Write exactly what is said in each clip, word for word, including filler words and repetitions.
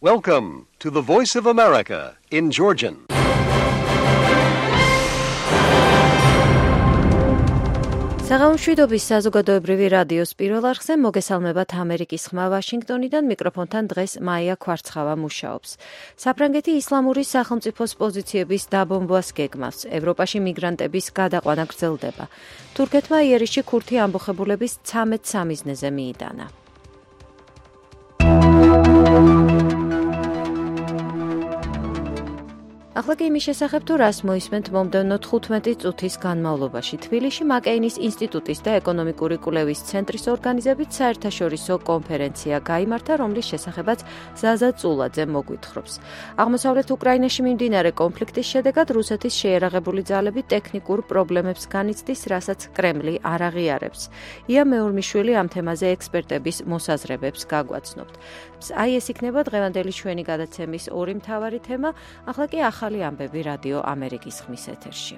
Welcome to the Voice of America in Georgian. საღამომშვიდობის საზოგადოებრივი რადიოს პირველ არხზე მოგესალმებათ ამერიკის ხმა ვაშინგტონიდან, მიკროფონთან დღეს მაია ქვარცხავა მუშაობს. საფრანგეთი ისლამური სახელმწიფოს პოზიციების დაბომბვას გეგმავს. ევროპაში მიგრანტების გადაყვანა გრძელდება. თურქეთმა იერიშში ქურთი ამბოხებულების ცამეტ სამიზნეზე მიიტანა. ახლა კი იმის შესახებ, თუ რას მოისმენთ მომდევნო თხუთმეტი წუთის განმავლობაში. თბილისში მაკეინის ინსტიტუტის და ეკონომიკური კვლევის ცენტრის ორგანიზებით საერთაშორისო კონფერენცია გაიმართა, რომლის შესახებაც ზაზა წულაძე მოგვითხრობს. აღმოსავლეთ უკრაინაში მიმდინარე კონფლიქტის შედეგად რუსეთის შეიარაღებული ძალები ტექნიკურ პრობლემებს განიცდის, რასაც კრემლი არ აღიარებს. ია მეურმიშვილი ამ თემაზე ექსპერტების მოსაზრებებს გაგვაცნობთ. აი ეს იქნება დღევანდელი ჩვენი გადაცემის ორი მთავარი თემა, ახლა კი ახალი ამბები რადიო ამერიკის ხმის ეთერში.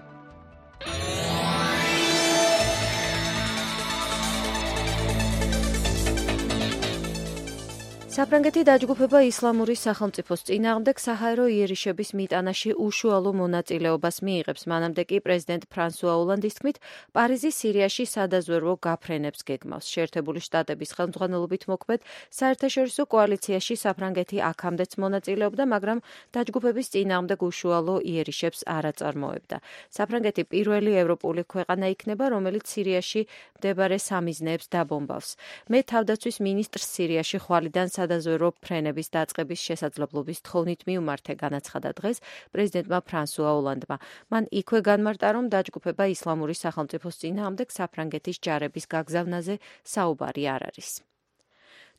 საფრანგეთი დაჯგუფება ისლამური სახელმწიფოს წინააღმდეგ საჰაერო იერიშების მიტანაში უშუალო მონაწილეობას მიიღებს. მანამდე კი პრეზიდენტ ფრანსუა ოლანდის თქმით, პარიზი სირიაში სადაზვერვო გაფრენებს გეგმავს. შეერთებული შტატების ხელმძღვანელობით მოქმედ საერთაშორისო კოალიციაში საფრანგეთი აქამდეც მონაწილეობდა, მაგრამ დაჯგუფების წინააღმდეგ უშუალო იერიშებს არ აწარმოებდა. საფრანგეთი პირველი ევროპული ქვეყანა იქნება, რომელიც სირიაში მდებარე სამიზნეებს დაბომბავს. მე თავდაცვის მინისტრს სირიაში ხვალიდან სადაზვერვო ფრენების დაწყების შესაძლებლობის თხოვნით მიუმართე, განაცხადა დღეს პრეზიდენტმა ფრანსუა ოლანდმა. მან იქვე განმარტა, რომ დაჯგუფება ისლამური სახელმწიფოს წინააღმდეგ საფრანგეთის ჯარების გაგზავნაზე საუბარი არ არის.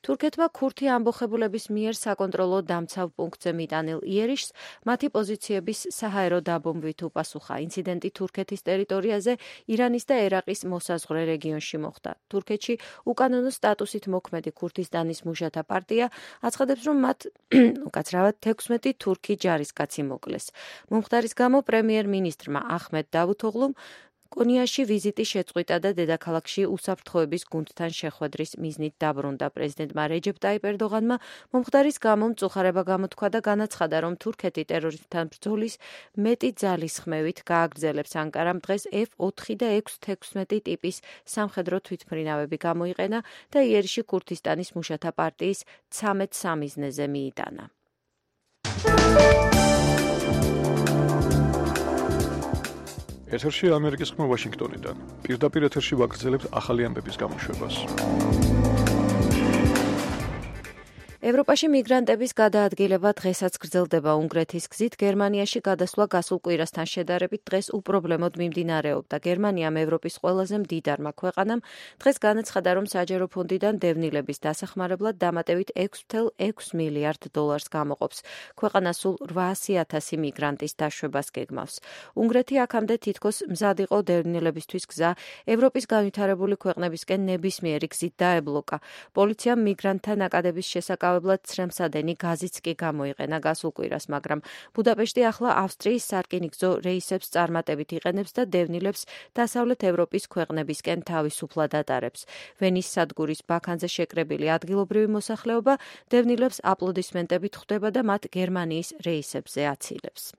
თურქეთმა ქურთი ამბოხებულების მიერ საკონტროლო დამცავ პუნქტზე მიტანილ იერიშს მათი პოზიციების საჰაერო დაბომბვით უპასუხა. ინციდენტი თურქეთის ტერიტორიაზე ირანის და ერაყის მოსაზღვრე რეგიონში მოხდა. თურქეთში უკანონო სტატუსით მოქმედი ქურთისტანის მუშათა პარტია აცხადებს, რომ მათ უკაცრავად თექვსმეტი თურქი ჯარისკაცი მოკლეს. მომხდარის გამო პრემიერ-მინისტრმა ახმედ დავუთოღლუმ კონიაში ვიზიტი შეწყვიტა და დედაქალაქში უსაფრთხოების გუნდთან შეხვედრის მიზნით დაბრუნდა. პრეზიდენტმა რეჯეპ ტაიპ ერდოღანმა მომხდარის გამო მწუხარება გამოთქვა და განაცხადა, რომ თურქეთი ტერორისტთან ბრძოლის მეტი ძალისხმევით გააგრძელებს. ანკარამ დღეს ეფ ოთხი და ექვს თექვსმეტი ტიპის სამხედრო თვითმფრინავები გამოიყენა და იერიშში ქურთისტანის მუშათა პარტიის ცამეტ სამიზნეზე მიიტანა. ეთერში ამერიკის ხმა ვაშინგტონიდან. პირდაპირ ეთერში ვაგრძელებთ ახალი ამბების გამოშვებას. ევროპაში მიგრანტების გადაადგილება დღესაც გრძელდება. უნგრეთის გზით გერმანიაში გადასვლა გასულ კვირასთან შედარებით დღეს უპრობლემოდ მიმდინარეობდა. გერმანიამ, ევროპის ყველაზე მდიდარმა ქვეყანამ, დღეს განაცხადა, რომ საჯარო ფონდიდან დევნილების დასახმარებლად დამატებით ექვს ათას ექვს მილიარდ დოლარს გამოყოფს. ქვეყანა სულ რვაასი ათასი მიგრანტის დაშვებას გეგმავს. უნგრეთი აქამდე თითქოს მზად იყო დევნილებისთვის გზა ევროპის განვითარებული ქვეყნებისკენ ნებისმიერი გზით დაებლოკა. პოლიციამ მიგრანტთა ნაკადების შესაკავებლად ცრემსადენი გაზიც კი გამოიყენა გასულ კვირას, მაგრამ ბუდაპეშტი ახლა ავსტრიის სარკინიგზო რეისებს წარმატებით იყენებს და დევნილებს დასავლეთ ევროპის ქვეყნებისკენ თავისუფლად ატარებს. ვენის სადგურის ბაქანზე შეკრებილი ადგილობრივი მოსახლეობა დევნილებს აპლოდისმენტებით ხვდება და მათ გერმანიის რეისებზე აცილებს.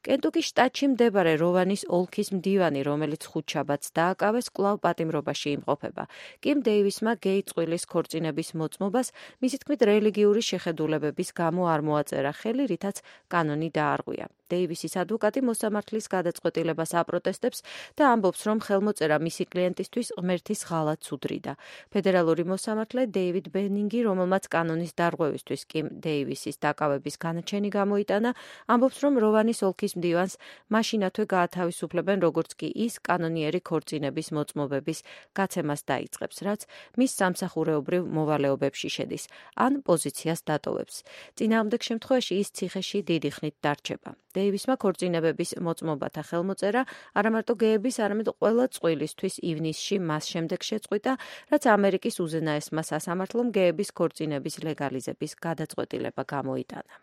კენტუკის შტატში მდებარე როვანის ოლქის მდივანი, რომელიც ხუთშაბათს დააკავეს, კვლავ პატიმრობაში იმყოფება. კიმ დეივისმა გეი წყვილის ქორწინების მოწმობას მისი თქმით რელიგიური შეხედულებების გამო არ მოაწერა ხელი, რითაც კანონი დაარღვია. დეივისის ადვოკატი მოსამართლის გადაწყვეტილებას აპროტესტებს და ამბობს, რომ ხელმოწერა მისი კლიენტისთვის ღმერთის ღალატს უდრიდა. ფედერალური მოსამართლე დეივიდ ბენინგი, რომელმაც კანონის დარღვევისთვის კიმ დეივისის დაკავების განაჩენი გამოიტანა, ამბობს, რომ როვანის ოლქის მდივანს მაშინათვე გაათავისუფლებენ, როგორც კი ის კანონიერი ქორწინების მოწმობების გაცემას დაიწყებს, რაც მის სამსახურეობრივ მოვალეობებში შედის, ან პოზიციას დატოვებს. წინააღმდეგ შემთხვევაში ის ციხეში დიდი ხნით დარჩება. დეივისმა ქორწინებების მოწმობათა ხელმოწერა არამარტო გეების, არამედ ყველა წყვილისთვის ივნისში მას შემდეგ შეწყვიტა, რაც ამერიკის უზენაესმა სასამართლომ გეების ქორწინების ლეგალიზების გადაწყვეტილება გამოიტანა.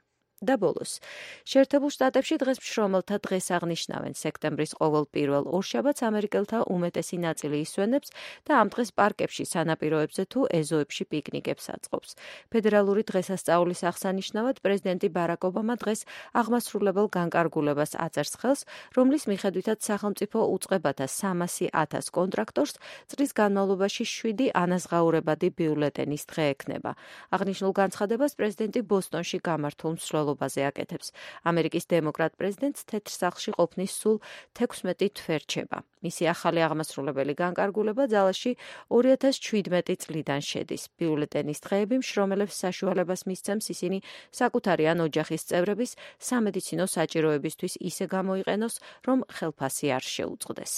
და ბოლოს. შეერთებულ შტატებში დღეს მშრომელთა დღეს აღნიშნავენ. სექტემბრის ყოველ პირველ ორშაბათს ამერიკელთა უმეტესი ნაწილი ისვენებს და ამ დღეს პარკებში, სანაპიროებზე თუ ეზოებში პიკნიკებს აწყობს. ფედერალური დღესასწაულის აღსანიშნავად პრეზიდენტი ბარაკ ობამა დღეს აღმასრულებელ განკარგულებას აწერს ხელს, რომლის მიხედვითაც სახელმწიფო უწყებათა სამასი ათას კონტრაქტორს წლის განმავლობაში შვიდი ანაზღაურებადი ბიულეტენის დღე ექნება. აღნიშნულ განცხადებას პრეზიდენტი ბოსტონში გამართულ მსვლელობაზე აკეთებს. ამერიკის დემოკრატ პრეზიდენტს თეთრ სახლში ყოფნის სულ თექვსმეტი თვე რჩება. მისი ახალი აღმასრულებელი განკარგულება ძალაში ორი ათას ჩვიდმეტი წლიდან შედის. ბიულეტენის დღეები მშრომელებს საშუალებას მისცემს ისინი საკუთარი ან ოჯახის წევრების სამედიცინო საჭიროებისთვის ისე გამოიყენოს, რომ ხელფასი არ შეუწყდეს.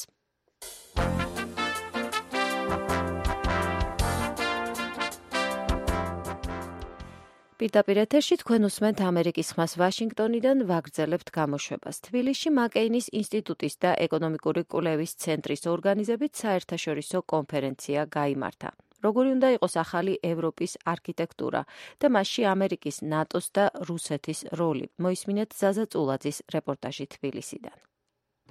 პირდაპირ ეთერში თქვენ უსმენთ ამერიკის ხმას ვაშინგტონიდან, ვაგრძელებთ გამოშვებას. თბილისში მაკეინის ინსტიტუტის და ეკონომიკური კვლევის ცენტრის ორგანიზებით საერთაშორისო კონფერენცია გაიმართა. როგორი უნდა იყოს ახალი ევროპის არქიტექტურა და მასში ამერიკის, ნატოს და რუსეთის როლი. მოისმინეთ ზაზა წულაძის რეპორტაჟი თბილისიდან.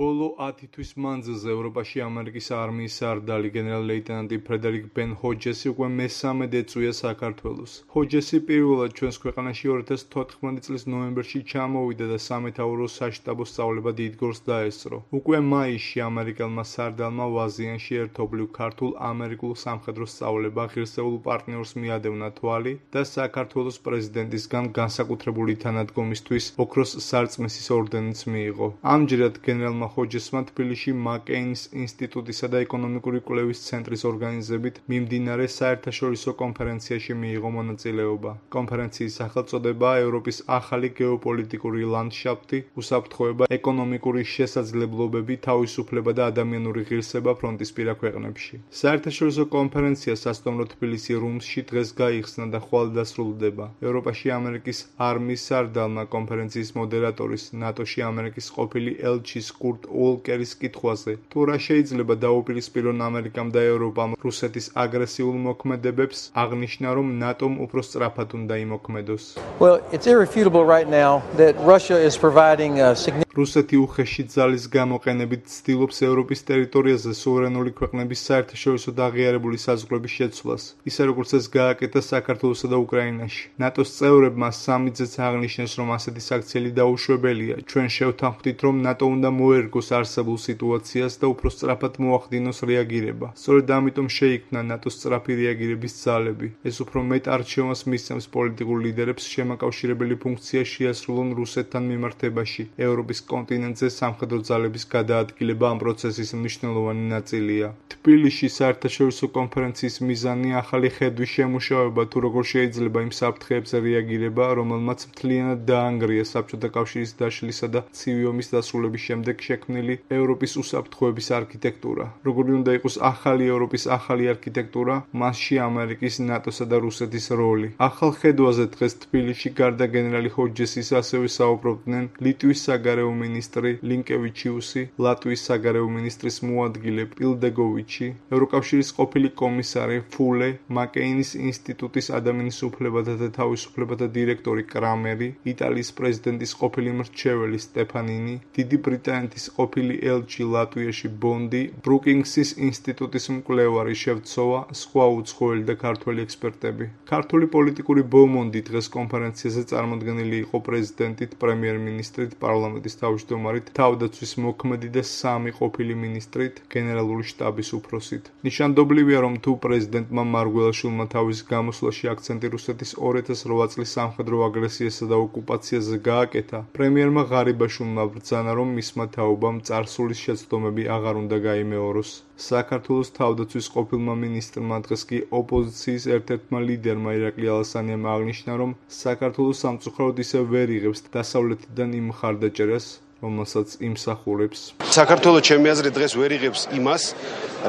ბოლო ათი თვის მანძილზე ევროპაში ამერიკის არმიის სარდალი გენერალ-ლეიტენანტი ფრედერიკ ბენ ჰოჯესი უკვე მესამედ ეწვია საქართველოს. ჰოჯესი პირველად ჩვენს ქვეყანაში ორი ათას თოთხმეტი წლის ნოემბერში ჩამოვიდა და სამეთაურო საშტაბო სწავლება დიდგორს დაესწრო. უკვე მაისში ამერიკელმა სარდალმა ვაზიანში ერთობლივ ქართულ-ამერიკულ სამხედრო სწავლება ღირსეულ პარტნიორს მიადევნა თვალი და საქართველოს პრეზიდენტისგან განსაკუთრებული თანადგომისთვის ოქროს სარწმისის ორდენიც მიიღო. ამჯერად გენერალმა ჰოჯესმა თბილისში მაკეინის ინსტიტუტისა და ეკონომიკური კვლევის ცენტრის ორგანიზებით მიმდინარე საერთაშორისო კონფერენციაში მიიღო მონაწილეობა. კონფერენციის სახელწოდებაა ევროპის ახალი გეოპოლიტიკური ლანდშაფტი, უსაფრთხოება, ეკონომიკური შესაძლებლობები, თავისუფლება და ადამიანური ღირსება ფრონტისპირა ქვეყნებში. საერთაშორისო კონფერენცია სასტუმრო თბილისი რუმსში დღეს გაიხსნა და ხვალ დასრულდება. ევროპაში ამერიკის არმიის სარდალმა კონფერენციის მოდერატორის, ნატოში ამერიკის ყოფილი ელჩის კურტ უოლკერის კითხვაზე, თუ რა შეიძლება დაუპირისპირონ ამერიკამ და ევროპამ რუსეთის აგრესიულ მოქმედებებს, აღნიშნა, რომ ნატომ უფრო სწრაფად უნდა იმოქმედოს. Well, it's irrefutable right now that Russia is providing a significant რუსეთი უხეში ძალის გამოყენებით ცდილობს ევროპის ტერიტორიაზე სუვერენული ქვეყნების საერთაშორისო და აღიარებული საზღვრების შეცვლას, ისე როგორც ეს გააკეთა საქართველოსა და უკრაინაში. ნატოს წევრებმა სამიძეც აღნიშნეს, რომ ასეთი საქციელი დაუშვებელია. ჩვენ შევთანხმდით, რომ ნატო უნდა მოერგოს არსებულ სიტუაციას და უფრო სწრაფად მოახდინოს რეაგირება. სწორედ ამიტომ შეიქმნა ნატოს სწრაფი რეაგირების ძალები. ეს უფრო მეტ არჩევანს მისცემს პოლიტიკურ ლიდერებს შემაკავშირებელი ფუნქცია შეასრულონ რუსეთთან მიმართებაში. ევროპის კონტინენტზე სამხედრო ძალების გადაადგილება ამ პროცესის მნიშვნელოვანი ნაწილია. თბილისში საერთაშორისო კონფერენციის მიზანი ახალი ხედვის შემუშავება, თუ როგორ შეიძლება იმ საფრთხეებზე რეაგირება, რომელმაც მთლიანად დაანგრია საბჭოთა კავშირის დაშლისა და ცივი ომის დასრულების შემდეგ შექმნილი ევროპის უსაფრთხოების არქიტექტურა. როგორი უნდა იყოს ახალი ევროპის ახალი არქიტექტურა, მასში ამერიკის, ნატოსა და რუსეთის როლი. ახალ ხედვაზე დღეს თბილისში გარდა გენერალი ჰოჯესის ასევე საუბრობდნენ ლიტვის საგარეო მინისტრი ლინკევიჩიუსი, ლატვიის საგარეო მინისტრის მოადგილე პილდეგოვიჩი, ევროკავშირის ყოფილი კომისარი ფულე, მაკეინის ინსტიტუტის ადამიანის უფლებათა და თავისუფლებათა დირექტორი კრამერი, იტალიის პრეზიდენტის ყოფილი მრჩეველი სტეფანინი, დიდი ბრიტანეთის ყოფილი ელჩი ლატვიაში ბონდი, ბრუკინგსის ინსტიტუტის მკვლევარი შევცოვა, სხვა უცხოელი და ქართველი ექსპერტები. ქართული პოლიტიკური ბომონდი დღეს კონფერენციაზე წარმოდგენილი იყო პრეზიდენტით, პრემიერ-მინისტრით, პარლამენტის თავმჯდომარით, თავდაცვის მოქმედი და სამი ყოფილი მინისტრით, გენერალური შტაბის უფროსით. ნიშანდობლივია, რომ თუ პრეზიდენტმა მარგველაშვილმა თავის გამოსვლაში აქცენტი რუსეთის ორი ათას რვა წლის სამხედრო აგრესიასა და ოკუპაციაზე გააკეთა, პრემიერმა ღარიბაშვილმა ბრძანა, რომ მისმა თაობამ წარსულის შეცდომები აღარ უნდა გაიმეოროს. საქართველოს თავდაცვის ყოფილმა მინისტრმა დღეს კი ოპოზიციის ერთ-ერთმა ლიდერმა ირაკლი ალასანიამ აღნიშნა, რომ საქართველოს სამწუხაროდ ისევ ვერ იღებს დასავლეთიდან იმ მხარდაჭერას, რომელსაც იმსახურებს. საქართველოს ჩემი აზრით დღეს ვერ იღებს იმას,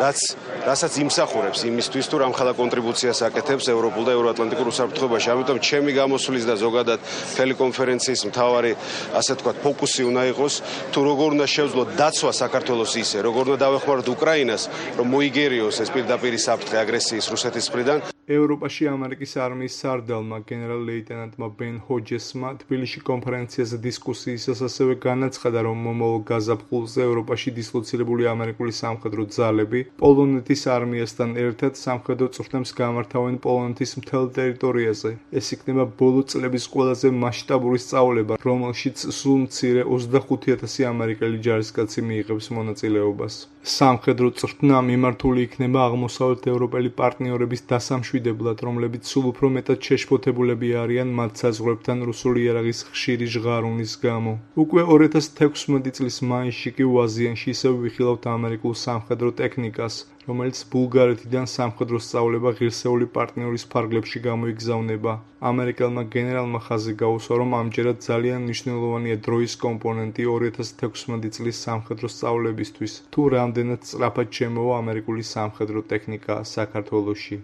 რაც რასაც იმსახურებს იმისთვის, თუ რამხელა კონტრიბუციას აკეთებს ევროპულ და ევროატლანტიკურ უსაფრთხოებაში. ამიტომ ჩემი გამოსვლის და ზოგადად მთელი კონფერენციის მთავარი, ასე თქვათ, ფოკუსი უნდა იყოს, თუ როგორ უნდა შევძლოთ დაცვა საქართველოს ისე, როგორ უნდა დავეხმაროთ უკრაინას, რომ მოიგერიოს ეს პირდაპირი საფრთხე აგრესიის რუსეთის მხრიდან. ევროპაში ამერიკის არმიის სარდალმა გენერალ-ლეიტენანტმა ბენ ჰოჯესმა თბილისში კონფერენციაზე დისკუსიისას ასევე განაცხადა, რომ მომავალ გაზაფხულზე ევროპაში დისლოცირებული ამერიკული სამხედრო ძალები პოლონეთის არმიასთან ერთად სამხედრო წვრთნებს გამართავენ პოლონეთის მთელ ტერიტორიაზე. ეს იქნება ბოლო წლების ყველაზე მასშტაბური სწავლება, რომელშიც სულ მცირე ოცდახუთი ათასი ამერიკელი ჯარისკაცი მიიღებს მონაწილეობას. სამხედრო წვრთნა მიმართული იქნება აღმოსავლეთ ევროპელი პარტნიორების დასამშვიდებლად, რომლებიც სულ უფრო მეტად შეშფოთებულები არიან მათ საზღვრებთან რუსული იარაღის ხშირი ჟღარულის გამო. უკვე ორი ათას თექვსმეტი წლის მაისში კი ვაზიანში ისევ ვიხილავთ ამერიკულ სამხედრო ტექნიკას, რომელიც ბულგარეთიდან სამხედრო სწავლება ღირსეული პარტნიორის ფარგლებში გამოიგზავნება. ამერიკელმა გენერალმა ხაზი გაუსვა, რომ ამჯერად ძალიან მნიშვნელოვანია დროის კომპონენტი ორი ათას თექვსმეტი წლის სამხედრო სწავლებისთვის, თუ რამდენად სწრაფად შემოვა ამერიკული სამხედრო ტექნიკა საქართველოში.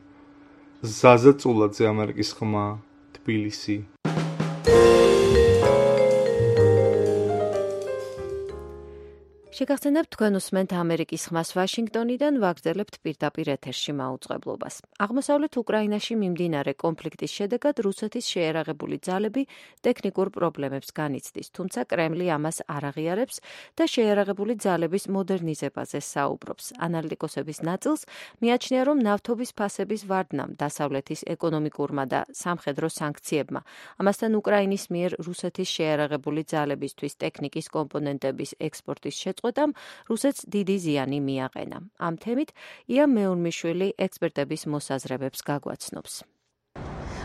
ზაზა წულაძე, ამერიკის ხმა, თბილისი. შეგახსენებთ, თქვენ უსმენთ ამერიკის ხმას ვაშინგტონიდან, ვაგრძელებთ პირდაპირ ეთერში მაუწყებლობას. აღმოსავლეთ უკრაინაში მიმდინარე კონფლიქტის შედეგად რუსეთის შეიარაღებული ძალები ტექნიკურ პრობლემებს განიცდის, თუმცა კრემლი ამას არ აღიარებს და შეიარაღებული ძალების მოდერნიზებაზე საუბრობს. ანალიტიკოსების ნაწილს მიაჩნია, რომ ნავთობის ფასების ვარდნამ, დასავლეთის ეკონომიკურმა და სამხედრო სანქციებმა, ამასთან უკრაინის მიერ რუსეთის შეიარაღებული ძალებისთვის ტექნიკის კომპონენტების ექსპორტის შეწყვეტამ რუსეთს დიდი ზიანი მიაყენა. ამ თემით ია მეუნმიშვილი ექსპერტების მოსაზრებებს გაგვაცნობს.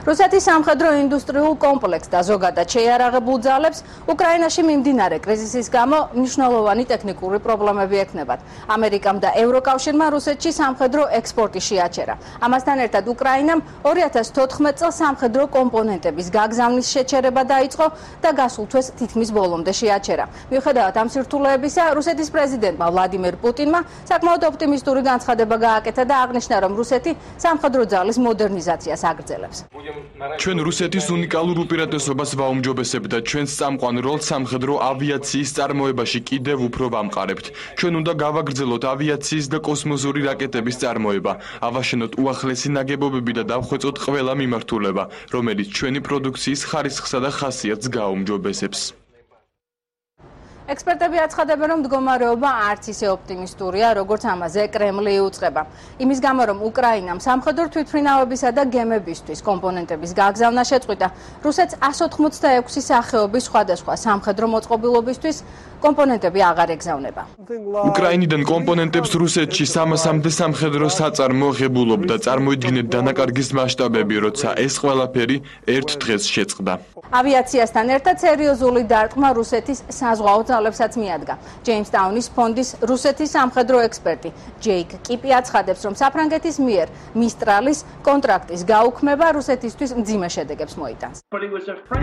რუსეთის სამხედრო ინდუსტრიულ კომპლექსს და ზოგადად შეიარაღებულ ძალებს უკრაინაში მიმდინარე კრიზისის გამო მნიშვნელოვანი ტექნიკური პრობლემები ექნებათ. ამერიკამ და ევროკავშირმა რუსეთში სამხედრო ექსპორტი შეაჩერა. ამასთან ერთად უკრაინამ ორი ათას თოთხმეტ წელს სამხედრო კომპონენტების გაგზავნის შეჩერება დაიწყო და გასულ თვეს თითქმის ბოლომდე შეაჩერა. მიუხედავად ამ სირთულეებისა, რუსეთის პრეზიდენტმა ვლადიმერ პუტინმა საკმაოდ ოპტიმისტური განცხადება გააკეთა და აღნიშნა, რომ რუსეთი სამხედრო ძალის მოდერნიზაციას აგრძელებს. ჩვენ რუსეთის უნიკალურ უპირატესობას ვაუმჯობესებთ და ჩვენს წამყვან როლს სამხედრო ავიაციის წარმოებაში კიდევ უფრო ვამყარებთ. ჩვენ უნდა გავაგრძელოთ ავიაციის და კოსმოსური რაკეტების წარმოება, ავაშენოთ უახლესი ნაგებობები და დავხვეწოთ ყველა მიმართულება, რომელიც ჩვენი პროდუქციის ხარისხსა და ხასიათს გააუმჯობესებს. ექსპერტები აცხადებენ, რომ მდგომარეობა არც ისე ოპტიმისტურია, როგორც ამაზე კრემლი იუწყება. იმის გამო, რომ უკრაინამ სამხედრო თვითმფრინავებისა და გემებისთვის კომპონენტების გაგზავნა შეწყვიტა, რუსეთს ასი ოცდაექვსი სახეობის სხვადასხვა სამხედრო მოწყობილობისთვის კომპონენტები აღარ ეგზავნება. უკრაინიდან კომპონენტებს რუსეთში სამასამდე სამხედრო საწარმო ღებულობდა, წარმოიდგინეთ დანაკარგის მასშტაბები, როცა ეს ყველაფერი ერთ დღეს შეწყდა. ავიაციასთან ერთად სერიოზული დარტყმა რუსეთის საზღვაო ძალებსაც მიადგა. ჯეიმსტაუნის ფონდის რუსეთის სამხედრო ექსპერტი ჯეიკ კიპი აცხადებს, რომ საფრანგეთის მიერ მისტრალის კონტრაქტის გაუქმება რუსეთისთვის მძიმე შედეგებს მოიტანს.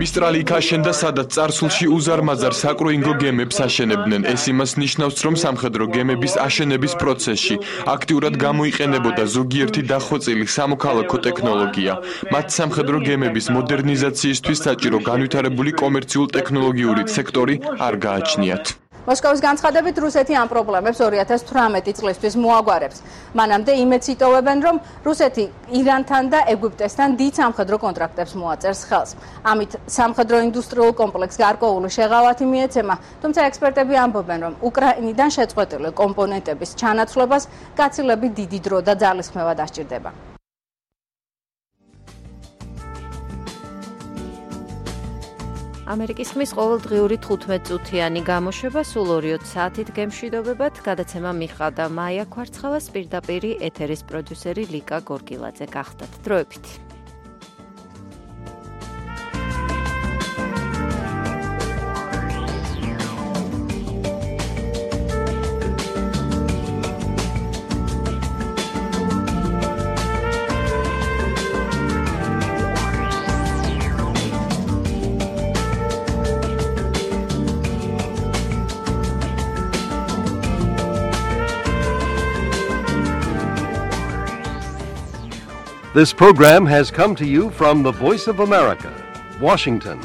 მისტრალი იქ აშენდა, სადაც წარსულში უზარმაზარ საკრუინგო გემებს აშენებდნენ. ეს იმას ნიშნავს, რომ სამხედრო გემების აშენების პროცესში აქტიურად გამოიყენებოდა ზოგიერთი დახვეწილი სამოქალაქო ტექნოლოგია. მათ სამხედრო გემების მოდერნიზაციისთვის საჭირო განვითარებული კომერციულ ტექნოლოგიური სექტორი არ გააჩნიათ. მოსკოვის განცხადებით, რუსეთი ამ პრობლემებს ორი ათას თვრამეტი წლისთვის მოაგვარებს. მანამდე იმედს იტოვებენ, რომ რუსეთი ირანთან და ეგვიპტესთან დიდ სამხედრო კონტრაქტებს მოაწერს ხელს. ამით სამხედრო ინდუსტრიულ კომპლექსს გარკვეული შეღავათი მიეცემა, თუმცა ექსპერტები ამბობენ, რომ უკრაინიდან შეწყვეტილი კომპონენტების ჩანაცვლებას გაცილებით დიდი დრო და ძალისხმევა დასჭირდება. ამერიკის ხმის ყოველდღიური თხუთმეტ-წუთიანი გამოშვება სულ ორი საათით გემშვიდობებად. გადაცემა მიხადა მაია ქვარცხავას, პირდაპირი ეთერის პროდიუსერი ლიკა გორგილაძე გახდათ. დროებით. This program has come to you from the Voice of America, Washington.